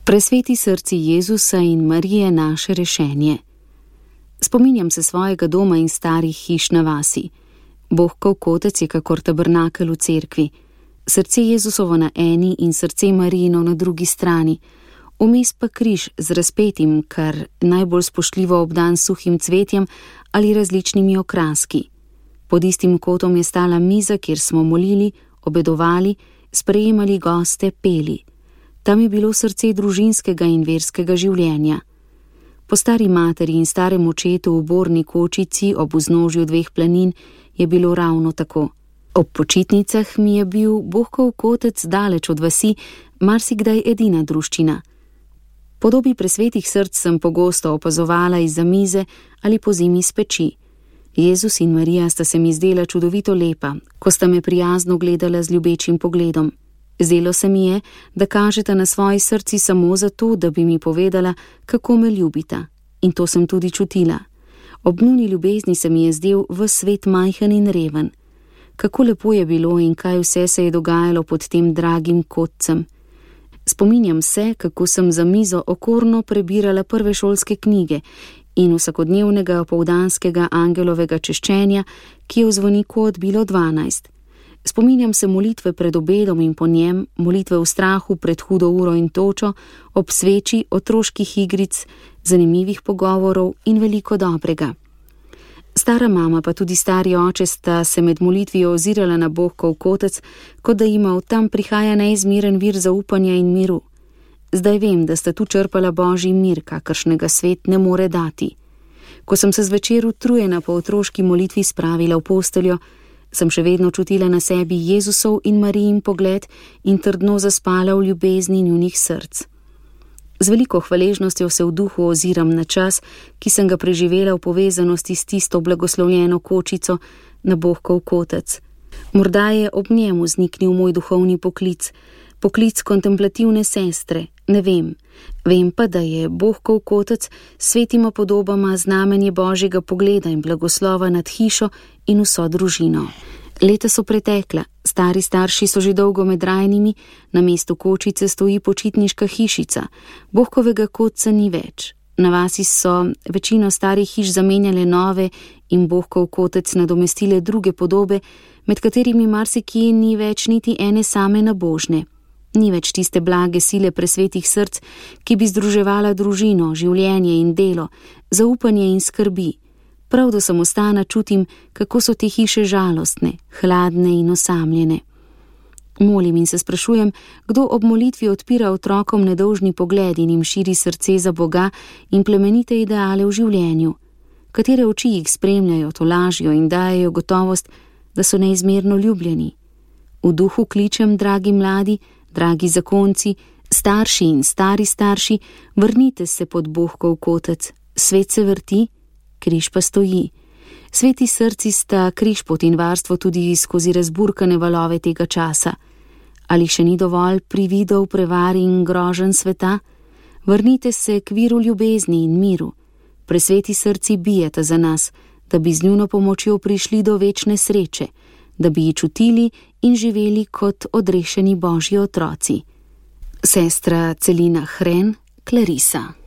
Presveti srci Jezusa in Marije naše rešenje. Spominjam se svojega doma in starih hiš na vasi. Bohkov kotec je kakor tabernakel v cerkvi. Srce Jezusovo na eni in srce Marijino na drugi strani. Vmes pa križ z razpetim, kar najbolj spoštljivo obdan suhim cvetjem ali različnimi okraski. Pod istim kotom je stala miza, kjer smo molili, obedovali, sprejemali goste, peli. Tam je bilo srce družinskega in verskega življenja. Po stari materi in starem očetu v borni kočici ob vznožju dveh planin je bilo ravno tako. Ob počitnicah mi je bil Bohkov kotec daleč od vasi marsikdaj edina druščina. Podobi presvetih src sem pogosto opazovala izza mize ali pozimi s peči. Jezus in Marija sta se mi zdela čudovito lepa, ko sta me prijazno gledala z ljubečim pogledom. Zdelo se mi je, da kažeta na svoji srci samo zato, da bi mi povedala, kako me ljubita. In to sem tudi čutila. Ob njuni ljubezni se mi je zdel ves svet majhen in reven. Kako lepo je bilo in kaj vse se je dogajalo pod tem dragim kotcem. Spominjam se, kako sem za mizo okorno prebirala prve šolske knjige in vsakodnevnega opoldanskega angelovega češčenja, ki je v zvoniku odbilo 12. Spominjam se molitve pred obedom in po njem, molitve v strahu pred hudo uro in točo, ob sveči, otroških igric, zanimivih pogovorov in veliko dobrega. Stara mama pa tudi stari oče sta se med molitvijo ozirala na Bohkov kotec, kot da jima od tam prihaja neizmeren vir zaupanja in miru. Zdaj vem, da sta tu črpala božji mir, kakršnega svet ne more dati. Ko sem se zvečer utrujena po otroški molitvi spravila v posteljo, sem še vedno čutila na sebi Jezusov in Marijin pogled in trdno zaspala v ljubezni njunih src. Z veliko hvaležnostjo se v duhu oziram na čas, ki sem ga preživela v povezanosti s tisto blagoslovljeno kočico na Bohkov kotec. Morda je ob njemu zniknil moj duhovni poklic, poklic kontemplativne sestre, ne vem. Vem pa, da je Bohkov kotec svetima podobama znamenje božjega pogleda in blagoslova nad hišo in vso družino. Leta so pretekla, stari starši so že dolgo med rajnimi, na mestu kočice stoji počitniška hišica, Bohkovega kotca ni več. Na vasi so večino starih hiš zamenjale nove in Bohkov kotec nadomestile druge podobe, med katerimi marsikje ni več niti ene same nabožne. Ni več tiste blage sile presvetih src, ki bi združevala družino, življenje in delo, zaupanje in skrbi. Prav do samostana čutim, kako so te hiše žalostne, hladne in osamljene. Molim in se sprašujem, kdo ob molitvi odpira otrokom nedolžni pogled in jim širi srce za Boga in plemenite ideale v življenju. Katere oči jih spremljajo, tolažijo in dajejo gotovost, da so neizmerno ljubljeni. V duhu kličem, dragi mladi, dragi zakonci, starši in stari starši, vrnite se pod Bohkov kotec. Svet se vrti, križ pa stoji. Sveti srci sta križpot in varstvo tudi skozi razburkane valove tega časa. Ali še ni dovolj prividov, prevar in groženj sveta? Vrnite se k viru ljubezni in miru. Presveti srci bijeta za nas, da bi z njuno pomočjo prišli do večne sreče, da bi ji čutili in živeli kot odrešeni božji otroci. Sestra Celina Hren, Klarisa.